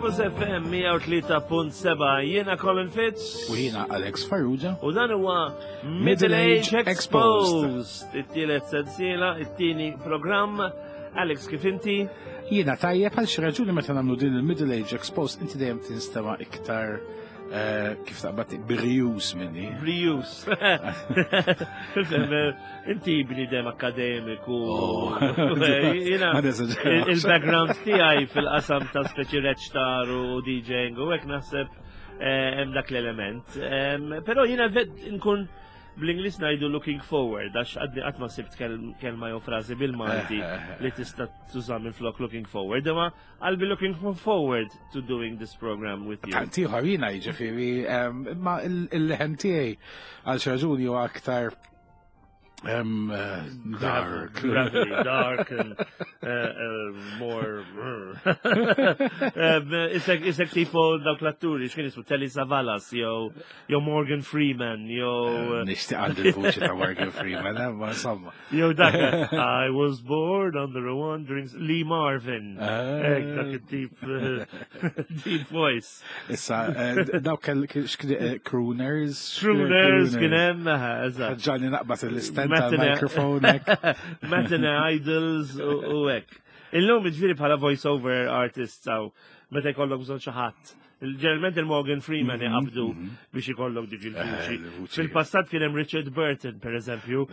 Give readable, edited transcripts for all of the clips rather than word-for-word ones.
Campus FM 103.7 jiena Colin Fitz. U jiena Alex Farrugia. U dan huwa Middle Age Exposed. It-tielet sensiela, it-tieni programm. Alex, kif inti? Jiena tajjeb għal xi raġuni meta nagħmlu din il-Middle Age Exposed inti dejjem tinstema' iktar eh, kif taqbad brius minni. Brius. Inti bnidem akademiku. Oh. Il-background tiegħi fil-qasam ta' speċi reċtar u DJing u hekk naħseb eh, hemm dak l-element. Però jiena nkun bl-Inglis ngħidu looking forward għax għadni qatt ma sibt kelma jew frażi bil-Malti eh, eh, li tista' tuża minn flok looking forward. Imma I'll be looking forward to doing this program with you. Tant ieħor jiena jiġifieri, imma il-leħen tiegħi għal xi raġuni huwa aktar um, dark. Gravelly, dark and uh, uh, more. um, isek, isek tipo dawk l-atturi, x'kien ismu Telly Savalas, jew jew Morgan Freeman, jew. Nixtieq għandi l-vuċi ta' Morgan Freeman, eh, ma insomma. Jew dak, I was born under a wandering Lee Marvin. Ah. Dak it-tip deep voice. Issa, eh, dawk kell eh, crooners. Crooners kien hemm, eżatt. Ġanni naqbad l-istent tal-mikrofon. Matinee Idols u hekk. Illum ġifieri bħala voice-over artist saw meta jkollok bżonn xi ħadd. Ġeneralment il-Morgan Freeman mhm, iqabdu mhm. biex ikollok dik il-vuċi. Eh, Fil-passat kien hemm Richard Burton, per eżempju.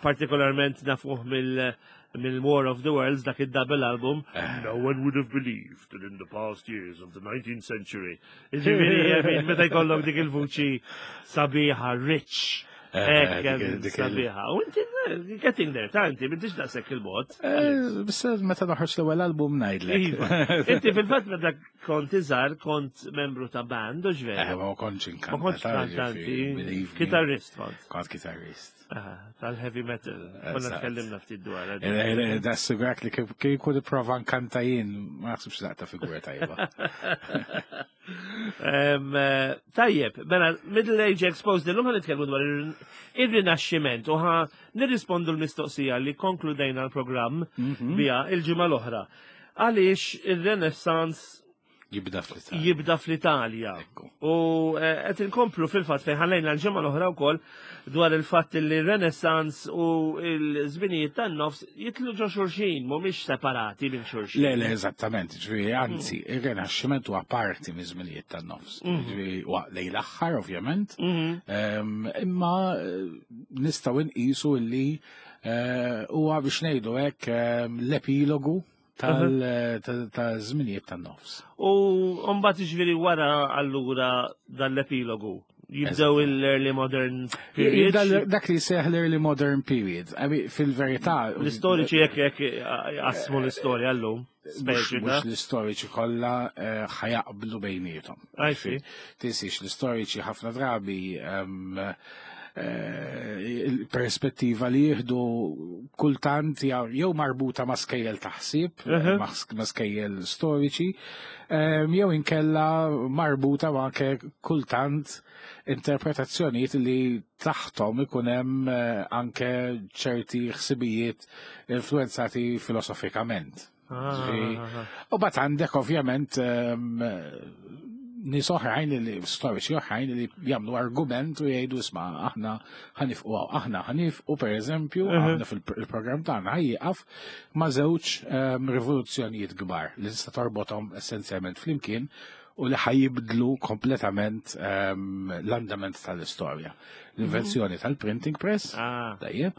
Partikolarment nafuh mill- mill-War of the Worlds, dak id-double album, eh. no one would have believed that in the past years of the 19th century. Ġifieri, meta jkollok dik il-vuċi sabiħa, rich, eh, Ekk, sabiħa. U inti eh, getting there, ta' inti, m'intix daqshekk il-bot. Bissa meta noħroġ l-ewwel album ngħidlek. Iva. Inti fil-fatt meta kont iżgħar kont membru ta' band u ġveru. Ma kontx inkanta. Ma kontx kantanti. Kitarrist kont. Kont kitarrist. Tal-heavy metal. Konna tkellimna ftit dwar. Eh, eh, eh, da sigurak li kieku prova nkanta jien, ma naħsibx laqta figura tajba. Tajjeb, mela Middle Age Exposed illum ħan nitkellmu dwar ir-rinaxximent u ħa nirrispondu l-mistoqsija li konkludejna l-programm mhm. biha il-ġimgħa l-oħra. Għaliex ir-Renaissance Jibda fl-Italja. Jibda fl-Italja. U eh, qed inkomplu fil-fatt fejn ħallejna l-ġimgħa l-oħra wkoll dwar il-fatt li r-Renaissance u l-żminijiet tan-nofs jitlu ġo xulxin, mhumiex separati minn xulxin. Le, le, eżattament, ġifieri anzi, mm. ir-Renaxximent huwa parti minn żminijiet tan-nofs. Mm. Ġifieri huwa lejn l-aħħar ovvjament, mm-hmm. ehm, imma eh, nistgħu nqisu li eh, huwa biex ngħidu hekk ehm, l-epilogu tal-żminijiet tan-nofs. U mbagħad jiġifieri wara allura dan l-epilogu jibdew l-early modern period. Dak li seħ l-early modern period. Fil-verità. L-istoriċi jekk jekk qasmu l-istorja llum. Mhux l-istoriċi kollha eh, ħajaqblu bejniethom. Tinsiex l-istoriċi ħafna drabi ehm, eh, il-perspettiva li jieħdu kultant jew marbuta ma' skejjel taħsib, ma' skejjel storiċi, ehm, jew inkella marbuta ma' anke kultant interpretazzjonijiet li taħtom ikun hemm eh, anke ċerti ħsibijiet influenzati filosofikament. Ah, ah, ah. U bat għandek ovvjament ehm, nies oħrajn li storiċi oħrajn li jagħmlu argument u jgħidu isma' aħna ħanifqu aħna ħanifqu pereżempju mhm. aħna fil-programm tagħna ħajjieqaf ma' żewġ ehm, rivoluzzjonijiet kbar li tista' torbothom essenzjalment flimkien u li ħajibdlu kompletament ehm, l-andament tal-istorja. L-invenzjoni mhm. tal-printing press, ah. tajjeb,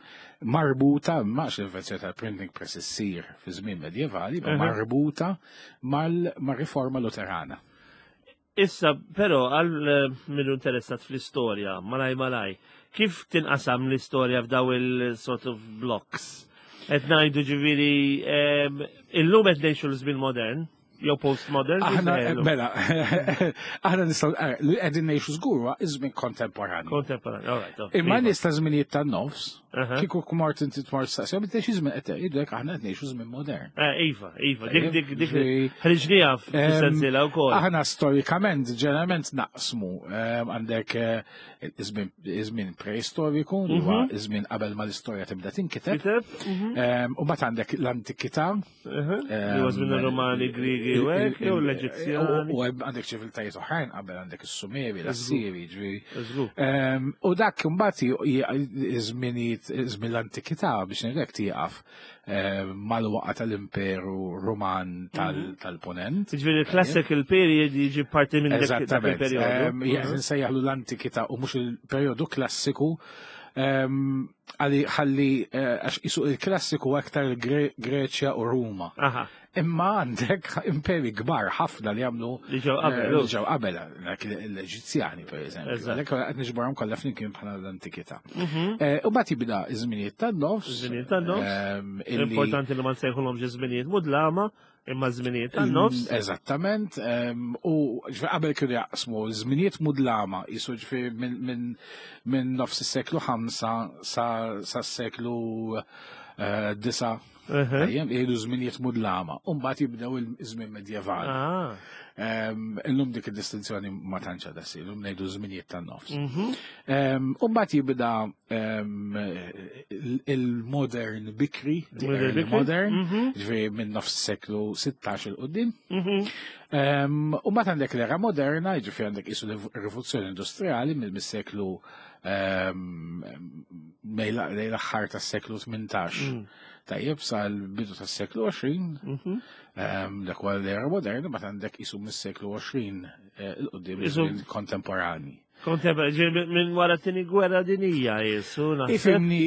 marbuta, max l-invenzjoni tal-printing press issir fi żmien medjevali, ma mhm. marbuta mal-riforma luterana. Issa, però, għal eh, minnu interessat fl-istorja, malaj malaj, kif tinqasam l-istorja f'daw il-sort of blocks? Et najdu ġiviri, ehm, illum qed ngħixu l-żmien modern, jew postmodern. Aħna, mela, aħna nistgħu eh, li qegħdin ngħixu żgur huwa iż-żmien kontemporanju. Kontemporanju, all right. Imma nies ta' żminijiet tan-nofs. Kieku kmart inti tmar staqsija, bit xi żmien qed jgħidlek aħna qed ngħixu żmien modern. Eh, iva, iva, dik dik dik ħriġniha fis-sensiela wkoll. Aħna storikament ġeneralment naqsmu għandek eh, iż-żmien preistoriku, li huwa mhm. iż-żmien qabel ma l-istorja tibda tinkiteb. Mhm. U mbagħad għandek l-antikità. Li huwa żmien ir-Romani, Griegi u hekk, jew l-Eġizzjani. U għandek ċiviltajiet oħrajn qabel għandek is-Sumeri, l-Assiri, ġifieri. U dak imbagħad iż-żminijiet żmien l-antikità biex ngħidlek tieqaf mal-waqa tal-Imperu Ruman mhm. tal-Ponent. Ġifieri il-classical period jiġi parti minn dak il-periodu. Mhm. Nsejjaħlu l-antikità u mhux il-periodu klassiku għalli ħalli eh, għax isu il-klassiku aktar Greċja u Ruma. Imma għandek imperi kbar ħafna li għamlu li ġew qabel. Eh, li ġew qabel l-Eġizzjani per eżempju. Għalhekk qed niġborhom kollha flimkien bħala l-antikità. Mhm. Eh, u mbagħad jibda iż-żminijiet tan-nofs. Iż-żminijiet tan-nofs. Ehm, Importanti li ma nsejħulhomx iż-żminijiet mudlama, imma żminijiet tan-nofs. Mm, eżattament, ehm, u qabel kienu jaqsmu żminijiet mudlama, jisu ġifieri minn nofs is-seklu 5 sa s-seklu eh, 9 Ejjem, jgħidu żminijiet mudlama, u mbagħad jibdew il-żmien medjevali. Ah. Illum dik id-distinzjoni ma tantx għadha ssir, illum ngħidu żminijiet tan-nofs. Mhm. U mbagħad jibda il-modern bikri, modern, mhm. ġifieri minn nofs seklu 16 il qudiem. Mhm. U mbagħad għandek l-era moderna, ġifieri għandek isu l-rivoluzzjoni industrijali mill-seklu lejn l-aħħar tas-seklu 18. Mm. Tajjeb sal-bidu tas-seklu 20, mhm. dak huwa l-era moderna, ma għandek isu mis-seklu 20 eh, il-qudiem kontemporani. Kontemporani, minn wara t-tieni gwerra dinija jisu. Ifimni,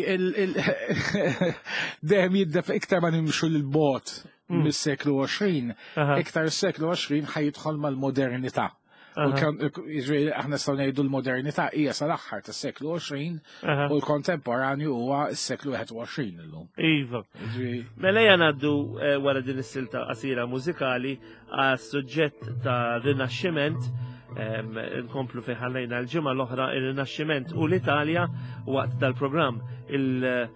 dejjem jiddef iktar ma nimxu l-bot mm. mis-seklu 20, iktar s-seklu 20 ħajidħol mal-modernità. Aħna nistgħu ngħidu l-modernità hija sal-aħħar tas-seklu 20 u l-kontemporanju huwa s-seklu 21 illum. Iva. Mela ejja ngħaddu eh, wara din is-silta qasira mużikali għas-suġġett ta' Rinaxximent nkomplu fejn ħallejna l-ġimgħa l-oħra ir-Rinaxximent u l-Italja waqt dal-programm il-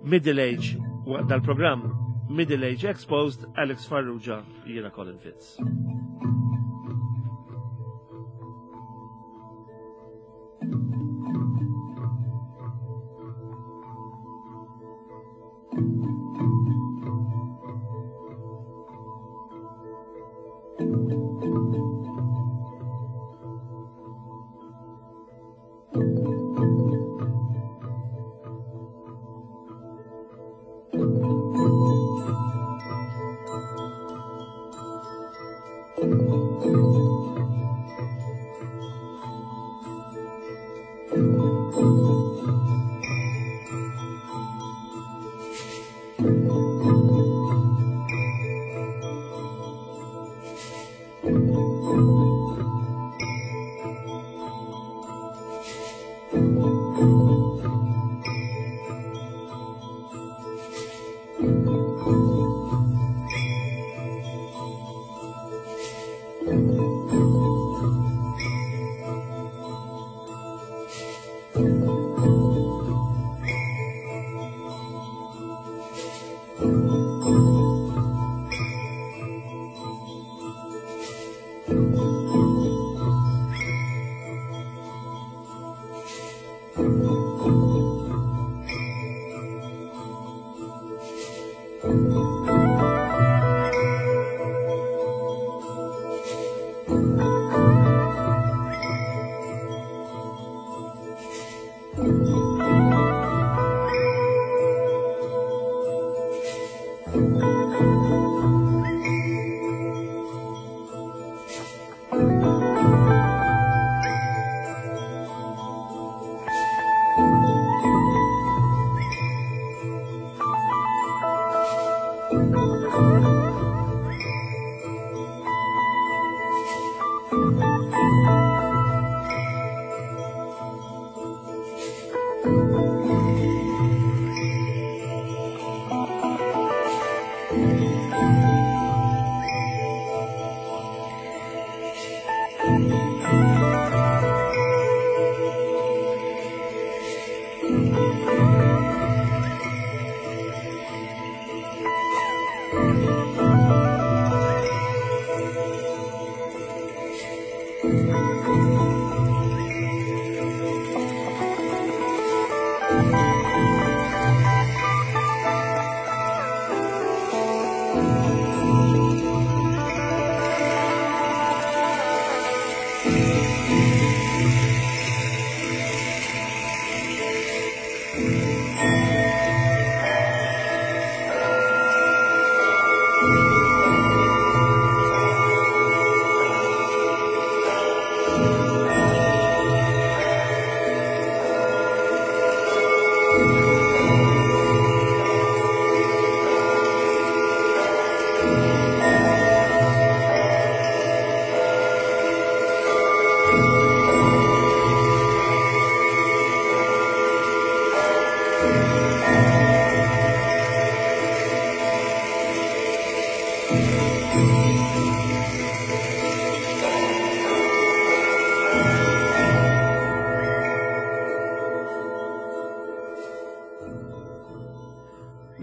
Middle Age waqt dal-programm Middle Age Exposed Alex Farrugia jiena Colin Fitz.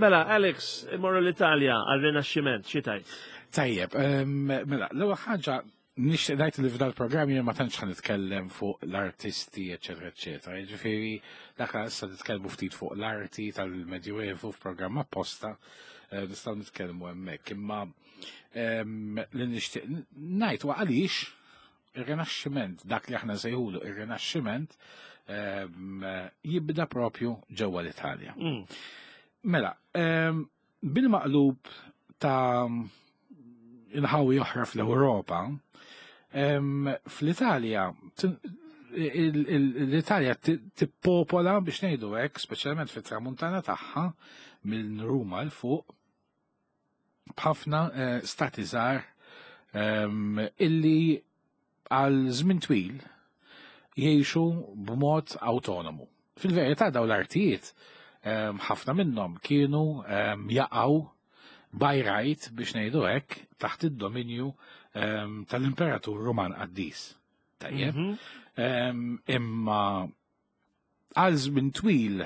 Mela, Alex, imorru l-Italja għal-Rinaxximent, xi tajt? Tajjeb, mela, l-ewwel ħaġa nixtieq ngħid li f'dal programm jien ma tantx ħa nitkellem fuq l-artisti, eċetera, eċetera. Jiġifieri dak issa nitkellmu ftit fuq l-arti tal-Medjuevu f'programm apposta, eh, nistgħu nitkellmu hemmhekk. Imma li nixtieq ngħid huwa għaliex ir-Rinaxximent, dak li aħna nsejħulu ir-Rinaxximent, jibda propju ġewwa l-Italja. Mela, bil-maqlub ta' inħawi oħra fl-Ewropa, fl-Italja l-Italja tippopola biex ngħidu hekk, speċjalment fit-tramuntana tagħha minn Ruma l fuq, b'ħafna eh, stati żgħar ehm, illi għal żmien twil jgħixu b'mod awtonomu. Fil-verità dawn l-artijiet ehm, ħafna minnhom kienu ehm, jaqgħu by right biex ngħidu hekk taħt id-dominju tal-Imperatur Ruman Qaddis. Tajjeb. Mhm. Imma Għal żmien twil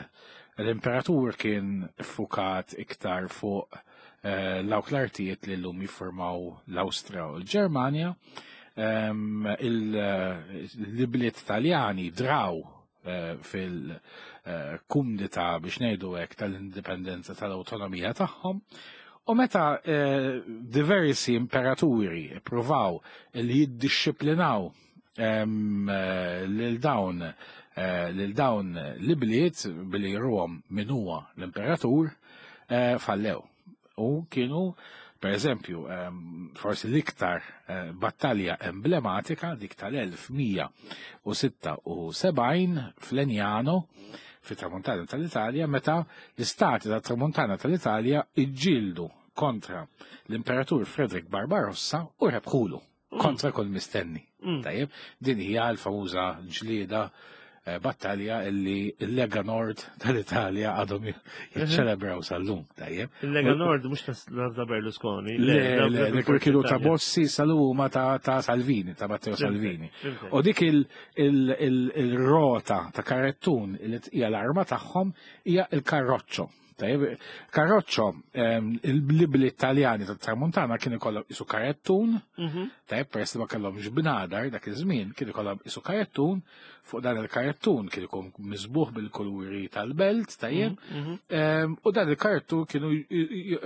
l-imperatur kien iffukat iktar fuq eh, dawk l-artijiet li llum jiffurmaw l-Awstrija u l-Ġermanja. Ehm, l-ibliet Taljani draw eh, fil-kumdita biex ngħidu hekk tal-indipendenza tal-awtonomija tagħhom. U meta eh, diversi imperaturi ippruvaw li jiddixxiplinaw lil dawn eh, lil dawn l-ibliet billi jruhom min huwa l-imperatur eh, fallew. U kienu per eżempju, forsi l-iktar eh, battalja emblematika dik tal-1176 fl-Enjano fit-tramuntana tal-Italja meta l-istati tat-tramuntana tal-Italja iġġieldu kontra l-imperatur Frederick Barbarossa u rebħulu. Kontra kull mistenni. Tajjeb, din hija l-famuża ġlieda eh, battalja illi l-Lega Nord tal-Italja għadhom jiċċelebraw sal-lum, tajjeb. Il-Lega Nord mhux ta' Berlusconi. Le, le, kienu ta' Bossi sal-huma ta' Salvini, ta' Matteo Salvini. U dik il-rota ta' karettun li hija l-arma tagħhom hija il-karroċċo. Tajjeb, karroċċo, il-libli Taljani tat-Tramuntana kien ikollhom isu karettun, mhm. tajjeb, peress li ma kellhomx bnadar dak iż-żmien, kien ikollhom isu karettun, fuq dan il-karettun kien ikun miżbuħ bil-kuluri tal-belt, tajjeb, mhm, mhm. u dan il-karettun kienu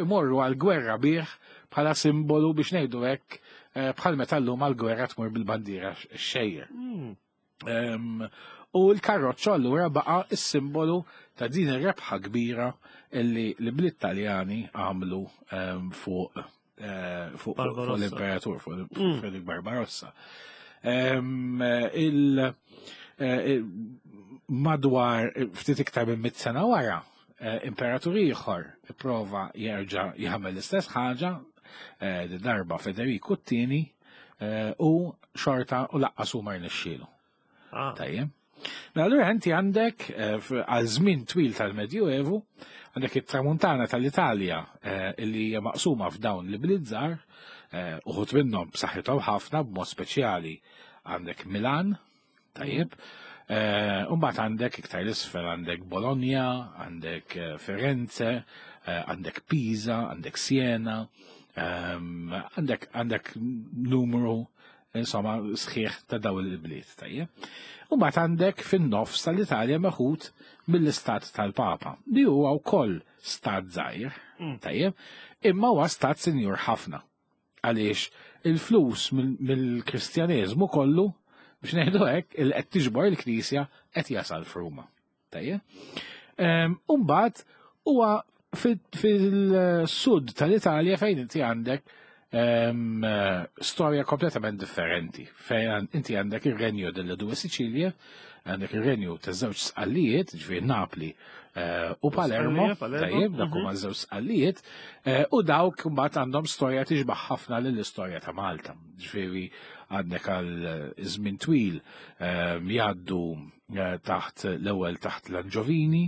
imorru għal-gwerra bih bħala simbolu biex ngħidu hekk eh, bħal meta llum għal-gwerra tmur bil-bandiera xejjer. Mm. U l-karroċċo allura baqa' s-simbolu ta' din ir-rebħa kbira illi l-bliet Taljani għamlu fuq eh, fuq l-imperatur, fuq mm. Frederick Barbarossa. Il eh, madwar ftit iktar minn mit sena wara, eh, imperatur ieħor ipprova jerġa' jagħmel l-istess ħaġa, darba Federiku t-tieni Eh, u xorta u laqqas huma rnexxielu. Ah. Tajjeb. Mela allura inti għandek eh, għal żmien twil tal-Medjuevu, għandek it-tramuntana tal-Italja eh, illi hija maqsuma f'dawn li blizzar, uħut minnhom b'saħħithom ħafna b'mod speċjali għandek Milan, tajjeb, Umbat għandek iktar l-isfel għandek Bologna, għandek Firenze, għandek Pisa, għandek Siena, ehm, għandek numru insomma, sħiħ ta' daw il-bliet, tajjeb. U mbagħad għandek fin-nofs tal-Italja meħud mill-istat tal-Papa, li huwa wkoll stat żgħir, tajjeb, imma huwa stat sinjur ħafna. Għaliex il-flus mill-Kristjaneżmu kollu, biex ngħidu hekk, il qed tiġbor il-Knisja qed jasal f'Ruma. Tajjeb. U mbagħad huwa fil-sud tal-Italja fejn inti għandek storja kompletament differenti. Fejn inti għandek ir-renju delle due Sicilie, għandek ir-renju ta' żewġ sqallijiet, ġifieri Napli u Palermo, tajjeb, dak huma żewġ sqallijiet, u dawk mbagħad għandhom storja tixbaħ ħafna lill-istorja ta' Malta. Ġifieri għandek għal żmien twil jgħaddu taħt l-ewwel taħt l-Anġovini,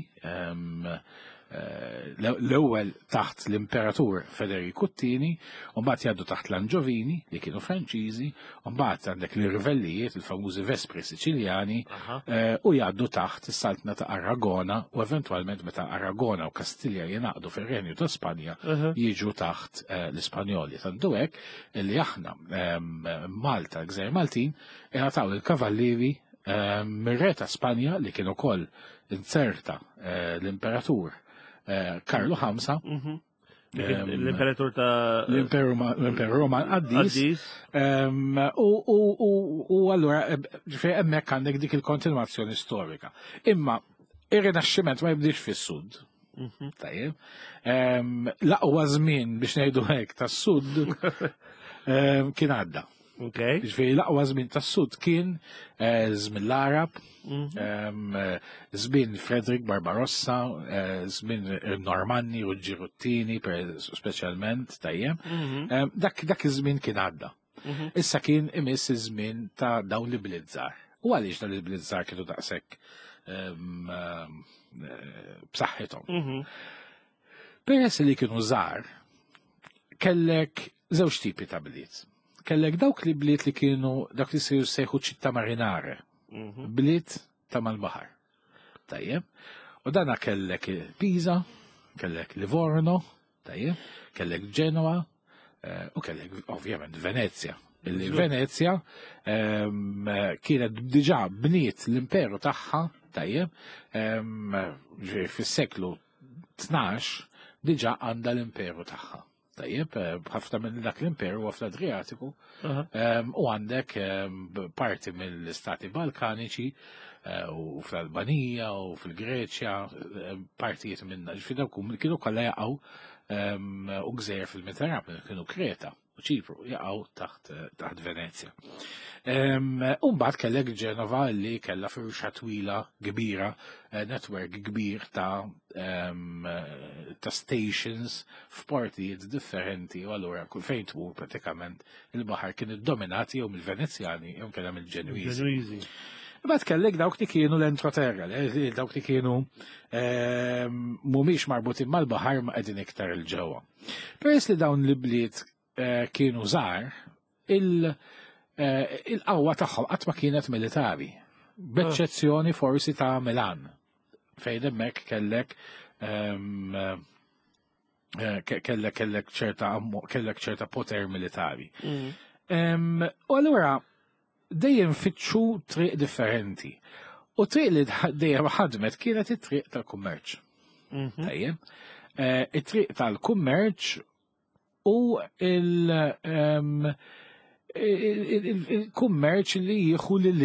l-ewwel taħt l-Imperatur Federiku t-tieni, u mbagħad jgħaddu taħt l-Anġovini li kienu Franċiżi, u mbagħad għandek l-Irvellijiet, il-famużi Vespri Siċiljani, u jgħaddu taħt is-Saltna ta' Aragona u eventwalment meta Aragona u Kastilja jingħaqdu fir-Renju ta' Spanja jiġu taħt l-Ispanjoli. Tantu hekk li aħna Malta, Gżejjer Maltin, ingħataw il-kavallieri mir-re ta' Spanja li kien ukoll inzerta l-Imperatur Karlu V. L-Imperatur ta' l-Imperu Roman Qaddis. U allura ġifieri hemmhekk għandek dik il-kontinwazzjoni storika. Imma ir-Rinaxximent ma jibdix fis-Sud. Tajjeb. L-aqwa żmien biex ngħidu hekk tas-Sud kien għadda. Ġifieri l-aqwa żmien tas-Sud kien żmien l-Arab, żmien Frederick Barbarossa, żmien Normanni u Ġiruttini speċjalment, tajjeb. Dak iż-żmien kien għadda. Issa kien imiss iż-żmien ta' dawn li bliet żgħar. U għaliex dawn li bliet żgħar kienu daqshekk b'saħħithom? Peress li kienu żgħar, kellek żewġ tipi ta' bliet. Kellek dawk li bliet li kienu dak li se sejħu città marinare, bliet ta' mal-baħar. Tajjeb. U dana kellek Pisa, kellek Livorno, tajjeb, kellek Genoa, u kellek ovvjament Venezia. Illi Venezia kienet diġà bniet l-imperu tagħha, tajjeb, fis-seklu 12 diġà għandha l-imperu tagħha. Tajjeb, ħafna minn dak l-imperu huwa fl-Adriatiku, u għandek parti mill-istati Balkaniċi u fl-Albanija u fil-Greċja, partijiet minna, ġifieri dawk kienu kollha jaqgħu u gżejjer fil-Mediterran, kienu Kreta u Ċipru jaqgħu taħt Venezja. U mbagħad kellek Ġenova li kellha firxa twila kbira, network kbir ta' stations f'portijiet differenti, u allura kull fejn tmur pratikament il-baħar kien iddominat jew mill-Venezjani jew kellha mill-Ġenwiżi. Ġenwiżi. Imbagħad kellek dawk li kienu l-entroterra, dawk li kienu mhumiex marbutin mal-baħar ma qegħdin iktar il-ġewwa. Peress li dawn l-bliet kienu żgħar, il-qawwa tagħhom qatt ma kienet militari, b'eċċezzjoni forsi ta' Milan, fejn hemmhekk kellek ċerta poter militari. U allura dejjem fittxu triq differenti. U triq li dejjem ħadmet kienet it-triq tal-kummerċ. Tajjeb. It-triq tal-kummerċ u il-kummerċ li jieħu lil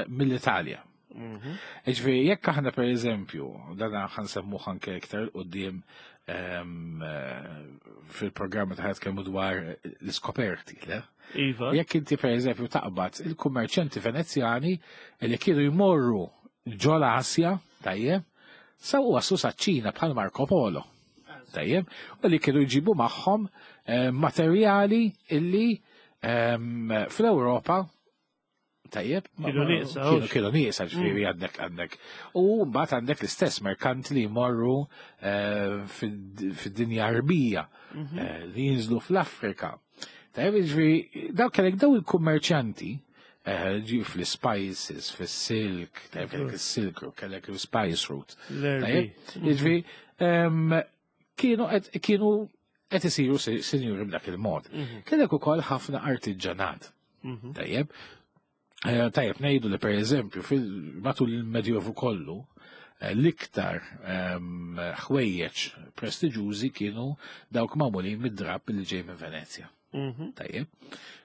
mill-Italja. Ġifieri, jekk aħna per eżempju, dan ħa nsemmu anke iktar quddiem fil-programma ta' tkellmu dwar l-iskoperti, le? Iva. Jekk inti per eżempju taqbad il-kummerċanti Venezjani li kienu jmorru ġol Asja, tajjeb, sa waslu sa ċina bħal Marco Polo. Tajjeb, u li kienu jġibu magħhom materjali illi fl-Ewropa tajjeb, Kienu nieqsa, hux. kienu nieqsa, ġifieri għandek. U mbagħad għandek l-istess merkant li jmorru fid-dinja Arbija, li jinżlu fl-Afrika. Tajjeb, ġifieri, dawk kellek daw il-kummerċanti, ġi fl-spices, fis-silk, tajjeb, kellek il-silk route, kellek il-spice route. L-erbi. Tajjeb, ġifieri, kienu qed isiru sinjuri b'dak il-mod. Kellek ukoll ħafna artiġġanat. Tajjeb. Eh, tajjeb ngħidu li pereżempju matul il-Medjovu kollu eh, l-iktar ehm, ħwejjeġ prestiġużi kienu dawk magħmulin mid-drapp li ġej minn Venezja. Tajjeb.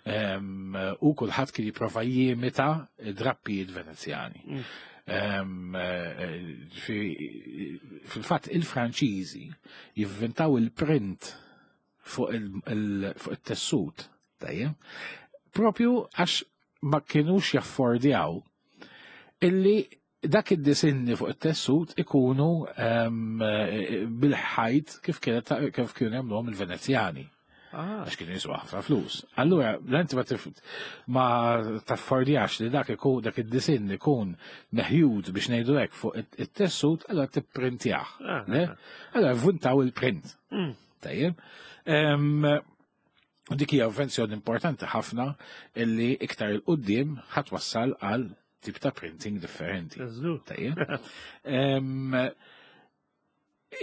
Ehm, u kulħadd kien jipprova jimita drappijiet Venezjani. Ehm, eh, fil-fatt il-Franċiżi jivvintaw il-print fuq il-tessut, tajjeb, propju għax ma kienux jaffordjaw illi dak id-disinni fuq it-tessut ikunu ehm, bil-ħajt kif kif kienu jagħmluhom il-Venezjani. Ah. Għax kienu jiswa ħafna flus. Allura, l-inti ma ma taffordjax li dak ikun dak id-disinn ikun meħjud biex ngħidu hekk fuq it-tessut, allura tipprintjah. Ah, ah. Allura vuntaw il-print. Tajjeb. Dik hija invenzjoni importanti ħafna illi iktar il-qudiem ħadd wassal għal tip ta' printing differenti. Tajjeb.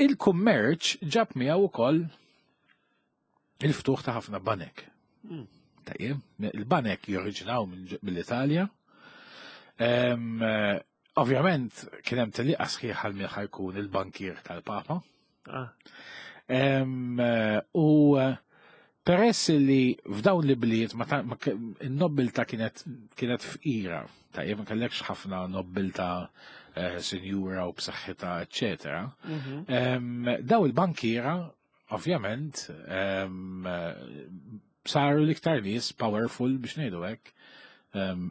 Il-kummerċ ġab miegħu wkoll il-ftuħ ta' ħafna banek. Tajjeb, il-banek joriġinaw mill-Italja. Ovvjament kien hemm tellieqa sħiħa għal min ħajkun il-bankier tal-Papa. Ah. U peress li f'dawn li bliet ma n-nobbilta kienet kienet fqira, tajjeb ma kellekx ħafna nobbilta eh, sinjura u b'saħħitha, eċetera. Daw il-bankiera ovvjament saru l-iktar nies powerful biex ngħidu hekk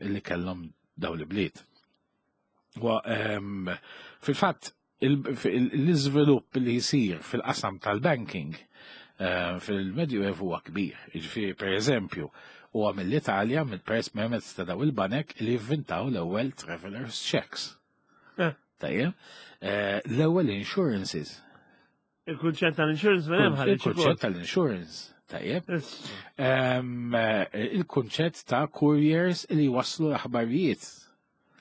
illi kellhom daw li bliet. Fil-fatt, l-iżvilupp li jsir fil-qasam tal-banking eh, fil-Medju Evu huwa kbir. Jiġifieri pereżempju, huwa mill-Italja mill-peress permezz ta' daw il-banek li jivvintaw l-ewwel travelers checks. Eh. Tajjeb, eh, l-ewwel insurances. Il-kunċett tal-insurance ma hemm ħareġ. Il-kunċett tal-insurance, tajjeb. Eh, il-kunċett ta' couriers li waslu l-aħbarijiet.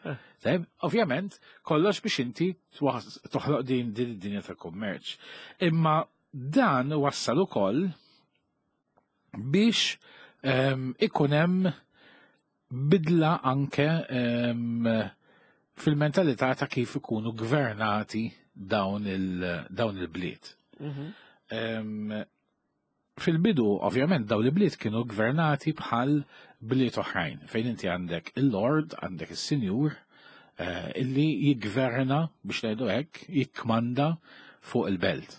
Eh. Tajjeb, ovvjament, kollox biex inti toħloq din din id-dinja ta' kummerċ. Imma dan wassal ukoll biex ikun hemm bidla anke fil-mentalità ta' kif ikunu gvernati dawn il-bliet. Mhm. Fil-bidu, ovvjament, dawn il-bliet kienu gvernati bħal bliet oħrajn, fejn inti għandek il-lord, għandek il-sinjur, eh, illi jiggverna, biex ngħidu hekk, jikkmanda fuq il-belt.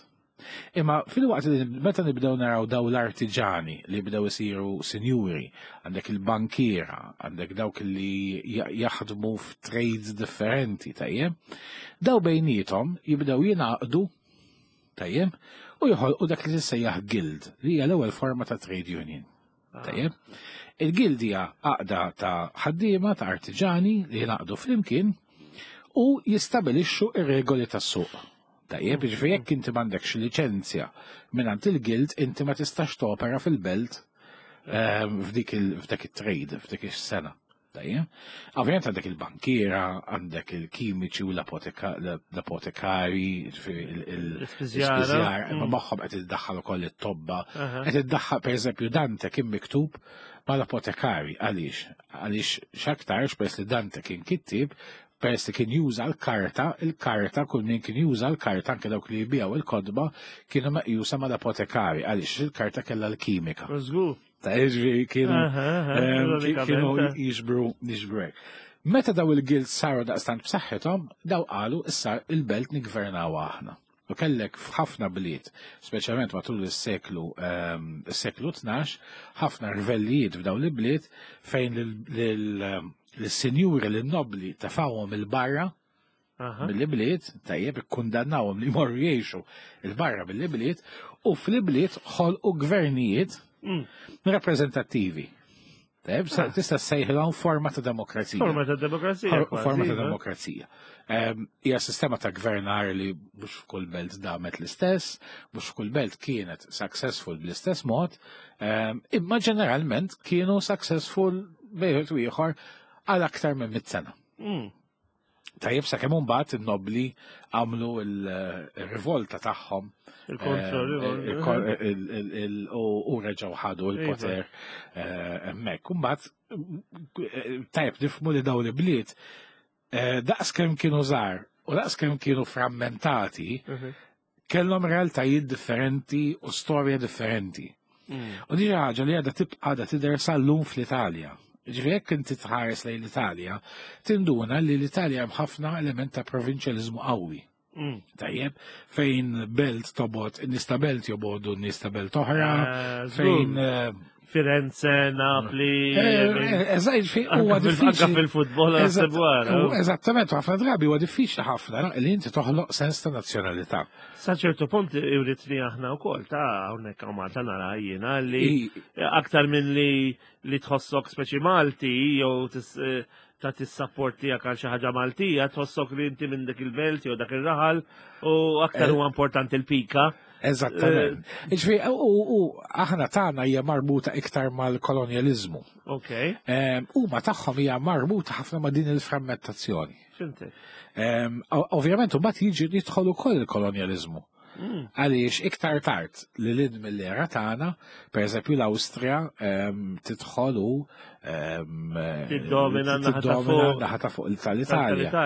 Imma fil-waqt li meta nibdew naraw daw l-artiġani li bdew isiru sinjuri, għandek il-bankiera, għandek dawk li jaħdmu f'trades differenti, tajjeb, daw bejniethom jibdew jingħaqdu tajjeb u joħolqu dak li tissejjaħ guild, li hija l-ewwel forma ta' trade union. Ah. Tajjeb. Il-guild hija għaqda ta' ħaddiema ta' artiġani li jingħaqdu flimkien u jistabilixxu ir-regoli tas-suq. Tajjeb, jiġifieri jekk inti m'għandekx liċenzja mingħand il-guild, inti ma tistax topera fil-belt ehm, f'dik f'dak it-trade, f'dik is-sena. Tajjeb. Ovvjament għandek il-bankiera, għandek il-kimiċi u l-apotekari, l-ispiżjar, imma mm. magħhom qed iddaħħal ukoll it-tobba. Qed iddaħħal pereżempju Dante kien miktub mal-apotekari għaliex? Għaliex x'aktarx peress li Dante kien kittieb, peress li kien juża l-karta, il-karta, kull min kien juża l-karta, anke dawk li jbijaw il-kotba, kienu meqjusa mal-apotekari, għaliex il-karta kellha l-kimika. Żgur. Ta' jiġri kienu kienu jiġbru jiġbru hekk. Meta daw il-guild saru daqstant b'saħħithom, daw qalu issa il-belt nigvernaw aħna. U kellek f'ħafna bliet, speċjalment matul is-seklu ehm, is-seklu 12, ħafna rvellijiet f'dawn l-bliet fejn l-sinjuri l-nobli tefawhom il-barra mill-ibliet, tajjeb ikkundannawhom li jmorru jgħixu il-barra mill-ibliet u fl-ibliet ħolqu gvernijiet mm. rappreżentattivi. Tajjeb, ah. tista' ssejħilhom forma ta' demokrazija. Forma ta' demokrazija. Forma ta' demokrazija. Ehm, hija sistema ta' gvernar li mhux f'kull belt damet l-istess, mhux f'kull belt kienet successful bl-istess mod, ehm, imma ġeneralment kienu successful bejħet u ieħor għal aktar minn mit sena. Mm. Tajjeb sakemm imbagħad in-nobbli għamlu il-rivolta tagħhom. Il-kontra u reġgħu ħadu l-poter iva. hemmhekk. Imbagħad tajjeb nifhmu li dawn il-bliet daqs kemm kienu żgħar u daqs kemm kienu frammentati, mhm. kellhom realtajiet differenti u storja differenti. U di ħaġa li għadha tibqa' għadha tidher sal-lum fl-Italja. Ġifieri jekk inti tħares lejn l-Italja, tinduna li l-Italja hemm ħafna element ta' provinċjaliżmu qawwi. Tajjeb, fejn belt tobgħod, in-nies ta' belt jobogħdu n-nies ta' belt oħra, fejn Firenze, Napli. Eh, eżatt, huwa diffiċli. fil-futbol Eżattament, ħafna drabi huwa diffiċli ħafna li inti toħloq sens ta' nazzjonalità. Sa ċertu punt iwrit li aħna wkoll ta' hawnhekk hawn Malta nara jiena li aktar minn li li tħossok speċi Malti jew eh, ta' tissapport tiegħek għal xi ħaġa Maltija, tħossok li inti minn dik il-belt jew dak ir-raħal u aktar eh. huwa importanti l-pika. Eżattament. Eh, Ġifieri, u aħna tagħna hija marbuta iktar mal-kolonjaliżmu. Ok. Huma tagħhom hija marbuta ħafna ma' din il-frammentazzjoni. Ovvjament, u jiġi jidħol ukoll il-kolonjaliżmu. Għaliex iktar tard li l mill-era tagħna, per eżempju l-Awstrija tidħol u tiddomina naħa ta' fuq tal-Italja.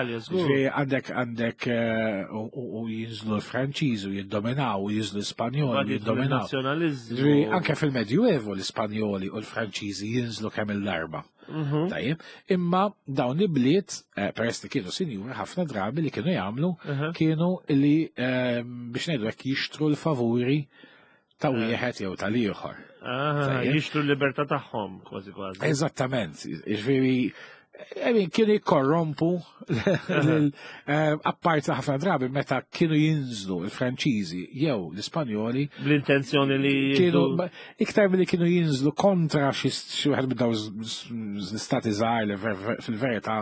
Għandek għandek eh, u jinżlu l-Franċiż u jiddominaw u jinżlu l-Ispanjoli jiddominaw. Anke fil-Medjuevu l-Ispanjoli u l-Franċiżi jinżlu kemm il-darba. Mhm. Tajjeb, imma dawn il-bliet, eh, peress li kienu sinjuri ħafna drabi li kienu jagħmlu, mhm. kienu li eh, biex ngħidu hekk jixtru l-favuri ta' eh. wieħed jew tal-ieħor. Ah, jixtru l-libertà tagħhom kważi kważi. Eżattament, jiġifieri I mean, kienu jikkorrompu eh, apparti ħafna drabi meta kienu jinżlu il-Franċiżi jew l-Ispanjoli. Bl-intenzjoni li kienu iktar milli kienu jinżlu kontra xi wieħed minn dawn l-istati żgħar li fil-verità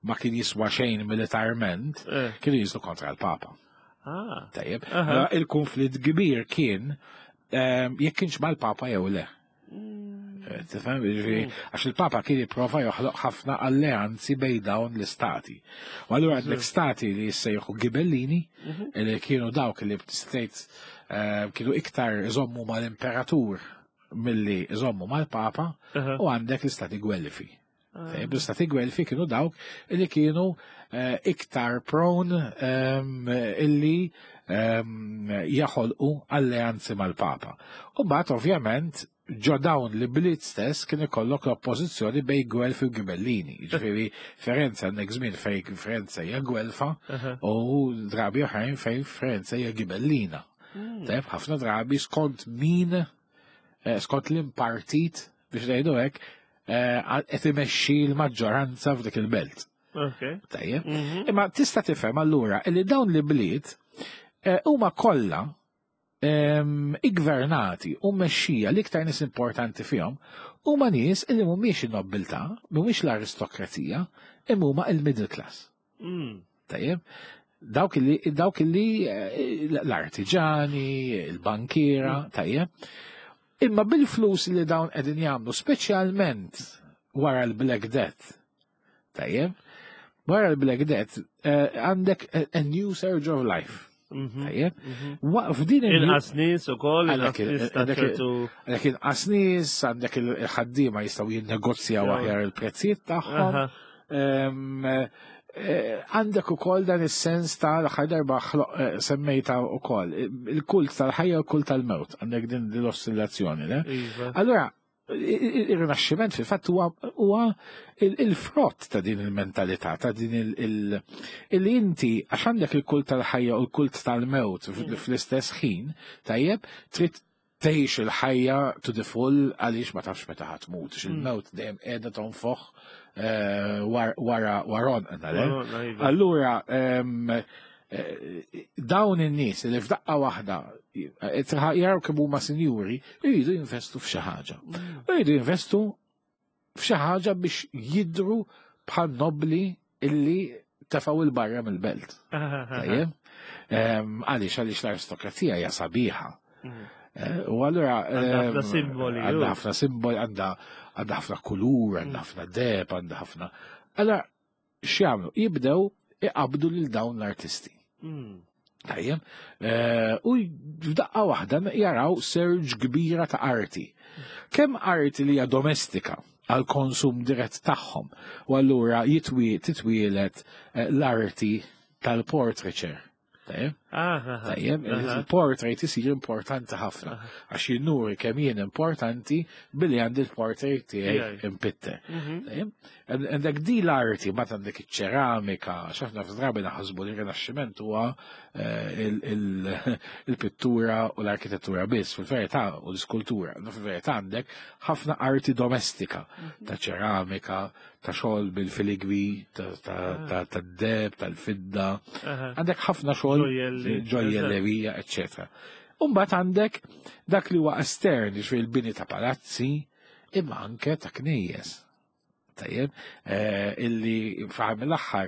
ma kien jiswa xejn militarment, eh. kienu jinżlu kontra l-Papa. Ah. Tajjeb. Mela, il-konflitt kbir kien ehm, jekk kienx mal-Papa jew le. Eh, tifhem, jiġifieri, mm. għax il-Papa kien jipprova joħloq ħafna alleanzi bejn dawn l-istati. U allura għandek stati li jissejħu Gibellini, mhm. li kienu dawk li state eh, kienu iktar iżommu mal-imperatur milli iżommu mal-Papa, u għandek l-istati Gwelfi. Ah. L-istati Gwelfi kienu dawk li kienu eh, iktar prone ehm, illi ehm, jaħolqu alleanzi mal-Papa. U mbagħad ovvjament ġo dawn li bliet stess kien ikollok l-oppożizzjoni bej Gwelfi u Gibellini. Ġifieri Ferenza għandek żmien fejn Ferenza hija Gwelfa u drabi oħrajn fejn Ferenza hija Gibellina. Mm. Tajb, ħafna drabi skont min, eh, skont l-impartit biex ngħidu hekk, eh, qed imexxi l-maġġoranza f'dik il-belt. Tajjeb. Mhm. Imma tista' tifhem allura li dawn li bliet eh, huma kollha ehm, iggvernati u mmexxija l-iktar nies importanti fihom huma nies li mhumiex in-nobbiltà, mhumiex l-aristokrazija, imma huma il-middle class. Tajjeb, dawk li dawk li eh, l-artiġani, il-bankiera, mm. tajjeb. Imma bil-flus li dawn qegħdin jagħmlu, speċjalment wara l-Black Death, tajjeb, wara l-Black Death eh, għandek a new surge of life. Mhm, tajjeb, mhm. f'din il-inqas nies ukoll, għandek inqas nies, għandek il-ħaddiema jistgħu jinnegozjaw aħjar il-prezzijiet tagħhom. Eh, għandek ukoll dan is-sens ta' l-aħħar darba eh, semmejta ukoll il-kult tal-ħajja u l-kult tal-mewt, għandek din l-ossillazzjoni, le? Iva. Allora, il-rinaxximent fil-fatt huwa il-frott ta' din il-mentalità, ta' din il inti għax għandek il-kult tal-ħajja u l-kult tal-mewt mm. fl-istess ħin, tajjeb, trid tgħix il-ħajja to the full għaliex ma tafx meta ħadd tmut, mm. il-mewt dejjem qiegħda tonfoħ eh, wara waron iva. Allura ehm, eh, dawn in-nies li f'daqqa waħda eh, jaraw kemm huma sinjuri jridu jinvestu f'xi ħaġa. Mm. Jridu jinvestu f'xi ħaġa biex jidru bħal nobli illi tefaw il-barra mill-belt. Tajjeb? Ehm, għaliex għaliex l-aristokrazija hija sabiħa. Mm. Eh, u allura għandha ħafna ehm, simboli. Għandha ħafna simboli, għandha ħafna kulur, għandha mm. ħafna deb, għandha ħafna. Allura x'jagħmlu? Jibdew Iqabdu lil dawn l-artisti. Tajjeb, u f'daqqa waħda jaraw surge kbira ta' arti. Kemm arti li hija domestika għal konsum dirett tagħhom, u allura titwielet l-arti tal-portraiture. Tajjeb? Tajjeb, il-portrait isir importanti ħafna, għax jinnuri kemm jien importanti billi għandi l-portrait tiegħi impitter. Tajjeb? Għandek di l-arti, ma għandek iċ-ċeramika, x'aħna f'drabi naħsbu li r-Rinaxximent huwa il-pittura u l-arkitettura biss, fil-verità u l-iskultura. Fil-verità għandek ħafna arti domestika, ta' ċeramika, ta' xogħol bil-filigwi, ta' deb, tal-fidda. Għandek ħafna xogħol ġojjellerija, eccetera. Umbagħad għandek dak li huwa estern, jiġifieri l-bini ta' palazzi, imma anke ta' knejjes. Tajjeb, illi f'aħħar mill-aħħar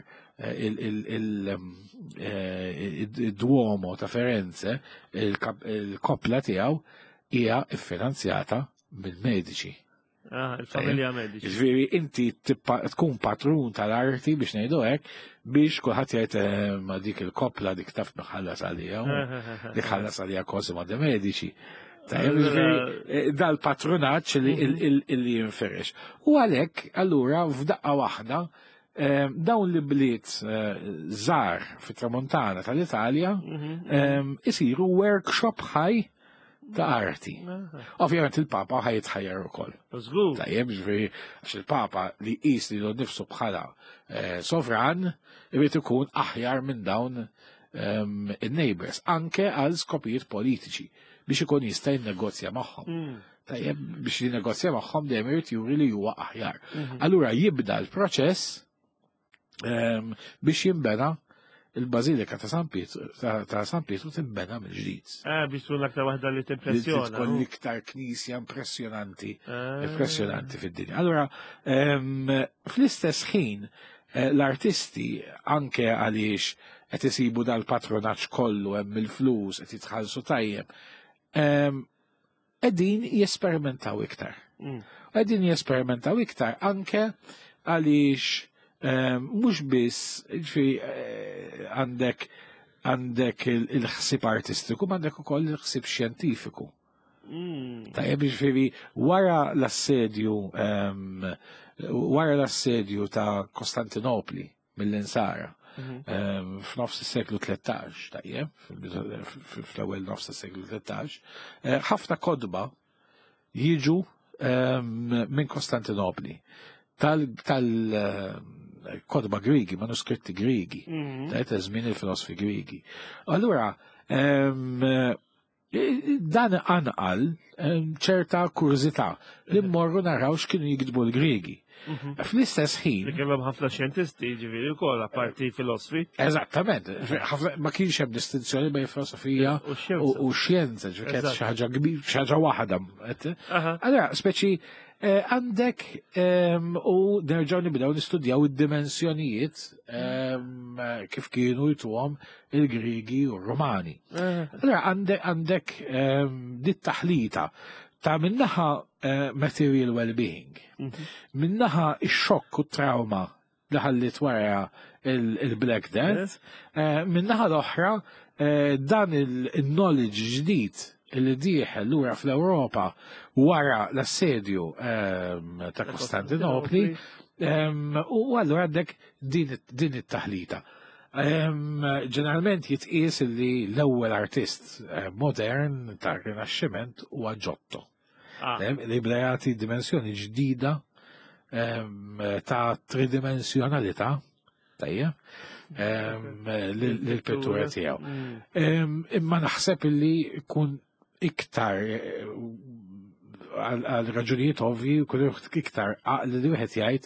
il-Duomo ta' Firenze, il-koppla tiegħu hija ffinanzjata mill-Medici. Ah, il-familja Medici. Ġifieri inti tkun patrun tal-arti biex ngħidu hekk biex kulħadd jgħid ma dik il-koppla dik taf ħallas għalija, dik ħallas għalija Cosimo de Medici. Tajjeb, ġifieri dal-patrunaġġ li jinferex. U għalhekk allura f'daqqa waħda dawn li bliet żgħar fit-tramuntana tal-Italja isiru workshop ħaj ta' arti. Ovvjament il-Papa ħa jitħajjar ukoll. Żgur. Tajjeb, ġifieri għax il-Papa li qis li nifsu bħala sovran irid ikun aħjar minn dawn in-neighbors, anke għal skopijiet politiċi biex ikun jista' jinnegozja magħhom. Tajjeb, biex jinnegozja magħhom dejjem irid juri li huwa aħjar. Allura jibda l-proċess biex jinbena il-Bażilika ta' San Pietru, ta' San Pietru tinbena mill-ġdid. Biex tkun l-aktar waħda li timpressjona. Tkun l-iktar knisja impressjonanti, impressjonanti fid-dinja. Allura, fl-istess ħin, l-artisti anke għaliex qed isibu dal-patronaġġ kollu hemm il-flus qed jitħallsu tajjeb, qegħdin jesperimentaw iktar. Qegħdin jesperimentaw iktar anke għaliex mhux biss, ġifieri, għandek il-ħsieb artistiku, ma għandek ukoll il-ħsieb xjentifiku. Tajjeb, ġifieri, wara l-assedju ta' Kostantinopli mill-Insara, f'nofs is-seklu 13, tajjeb, fl-ewwel nofs is-seklu 13, ħafna kotba jiġu minn Kostantinopli tal-kotba Grigi, manuskritti Grigi, ta' żmien il-filosofi Grigi. Allura, dan anqal ċerta kurżità li mmorru naraw x'kienu jiktbu l-Grigi. Fl-istess ħin. Li kellhom ħafna xjentisti, ġifieri wkoll apparti filosofi. Eżattament, ma kienx hemm distinzjoni bejn filosofija u xjenza, ġifieri kienet xi ħaġa kbir, xi ħaġa waħda. Allora, speċi għandek u nerġgħu nibdew nistudjaw id-dimensjonijiet kif kienu jtuhom il-Grigi u r-Romani. Allora għandek dit taħlita ta' minnaħa material well-being, minnaħa ix-xokk u trauma li ħallit wara il-Black Death, minnaħa l-oħra dan il-knowledge ġdid li dieħel lura fl-Ewropa wara l-assedju ta' Kostantinopli, u allura għandek din it-taħlita. Ġeneralment jitqies li l-ewwel artist modern ta' Rinaxximent huwa Giotto. Li bda jagħti dimensjoni ġdida ta' tridimensjonalità, tajjeb, lill-pittura tiegħu. Imma naħseb li jkun iktar għal raġunijiet ovvi, jkun iktar għaqli li wieħed jgħid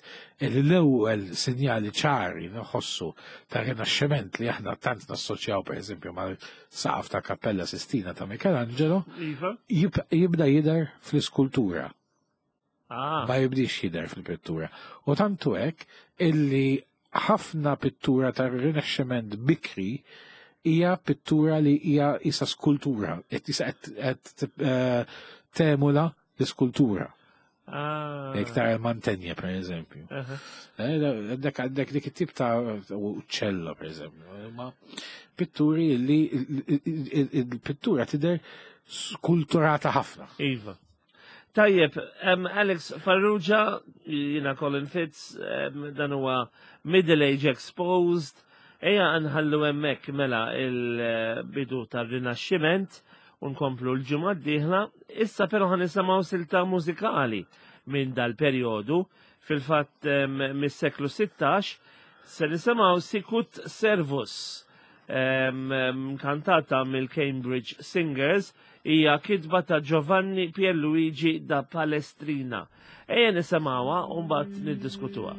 li l-ewwel sinjali ċari nħossu ta' rinaxximent li aħna tant nassoċjaw pereżempju mal-saqaf ta' Kappella Sistina ta' Michelangelo, jibda jidher fl-iskultura. Ma jibdix jidher fil-pittura. U tantu hekk illi ħafna pittura ta' rinaxximent bikri hija pittura li hija isa skultura, qed isa qed temula l-iskultura. Ah. Jekk tara l-Mantenja, per eżempju. Eh, għandek għandek dik it-tip ta' uċċello, per eżempju. Ma pitturi li il-pittura tidher skulturata ħafna. Iva. Tajjeb, Alex Farrugia, jina Colin Fitz, dan huwa Middle Age Exposed, eja nħallu hemmhekk mela il-bidu tar-Rinaxximent u nkomplu l-ġimgħa d-dieħla, issa però ħan nisimgħu silta mużikali minn dal-perjodu, fil-fatt mis-seklu 16, se nisimgħu Sicut Servus, kantata mill-Cambridge Singers, hija kitba ta' Giovanni Pierluigi da Palestrina. Ejja nisimgħuha u mbagħad niddiskutuha.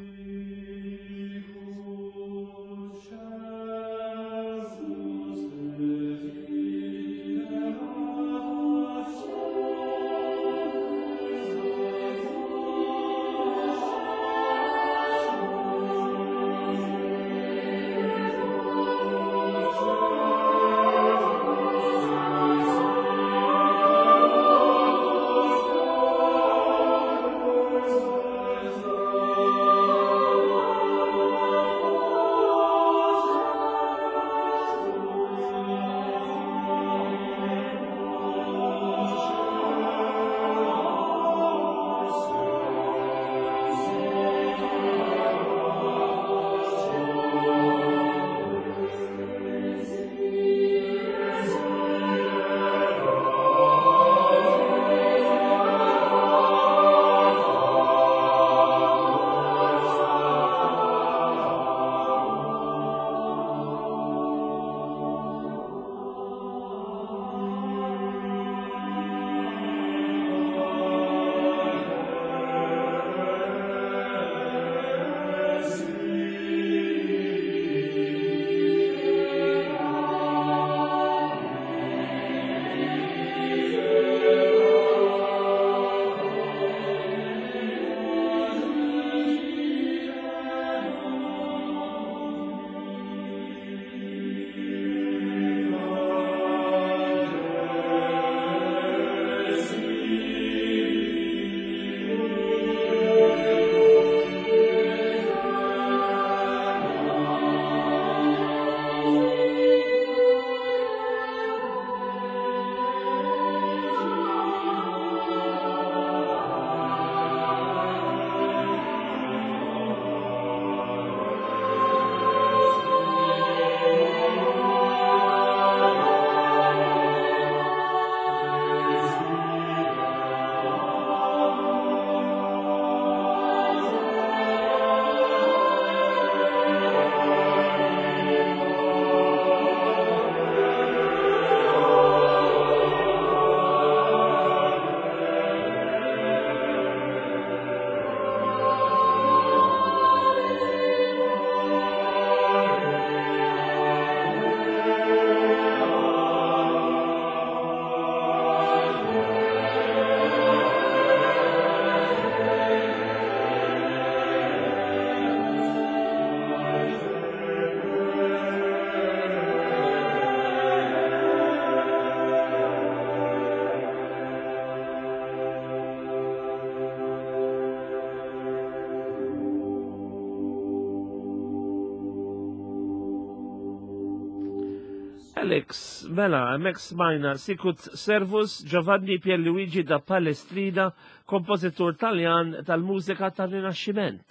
Alex, mela, hemmhekk smajna Sicut Servus Giovanni Pierluigi da Palestrina, kompożitur Taljan tal-mużika tar-Rinaxximent.